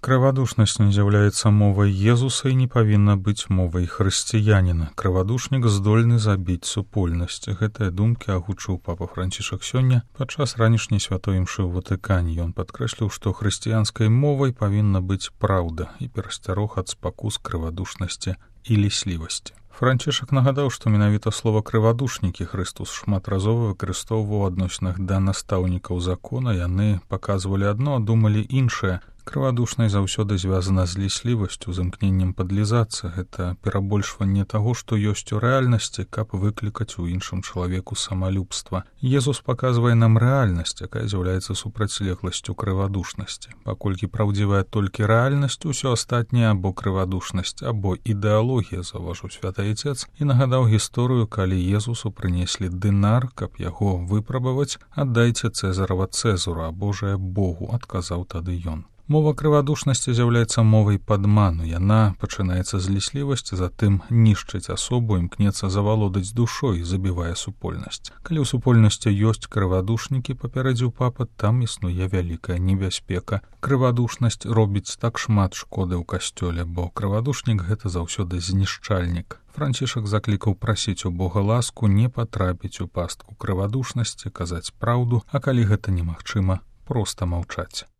Крывадушнасць не з'яўляецца мовай Езуса і не павінна быць мовай хрысціяніна. Крывадушнік здольны забіць супольнасць. Гэтыя думкі агучыў папа Францішак сёння падчас ранішняй святой імшы ў Ватыкане. Ён падкрэсліў, што хрысціянскай мовай павінна быць праўда і перасцярог ад спакус крывадушнасці і ліслівасці. Францішак нагадаў, што менавіта слова крывадушнікі Хрыстус шматразова выкарыстоўваў у адносінах да настаўнікаў закона. Яны паказвалі адно, а думалі іншае. Крывадушнасць заўсёды звязана з ліслівасцю, з імкненнем падлізацца. Гэта перабольшванне таго, што ёсць у рэальнасці, каб выклікаць у іншым чалавеку самалюбства. Езус паказвае нам рэальнасць, якая з'яўляецца супрацьлегласцю крывадушнасці. Паколькі праўдзівая толькі рэальнасць, усё астатняе або крывадушнасць, або ідэалогія, заўважыў святы Айцец, і нагадаў гісторыю, калі Езусу прынеслі дынар, каб яго выпрабаваць. «Аддайце Цэзарава Цэзару, а Божае Богу», адказаў тады ён. Мова крывадушнасці з'яўляецца мовай падману. Яна пачынаецца з ліслівасці, затым нішчыць асобу, імкнецца завалодаць душой, забівае супольнасць. Калі ў супольнасці ёсць крывадушнікі, папярэдзіў папа, там існуе вялікая небяспека. Крывадушнасць робіць так шмат шкоды ў касцёле, бо крывадушнік — гэта заўсёды знішчальнік. Францішак заклікаў прасіць у Бога ласку, не патрапіць у пастку крывадушнасці, казаць праўду, а калі гэта немагчыма, проста маўчаць.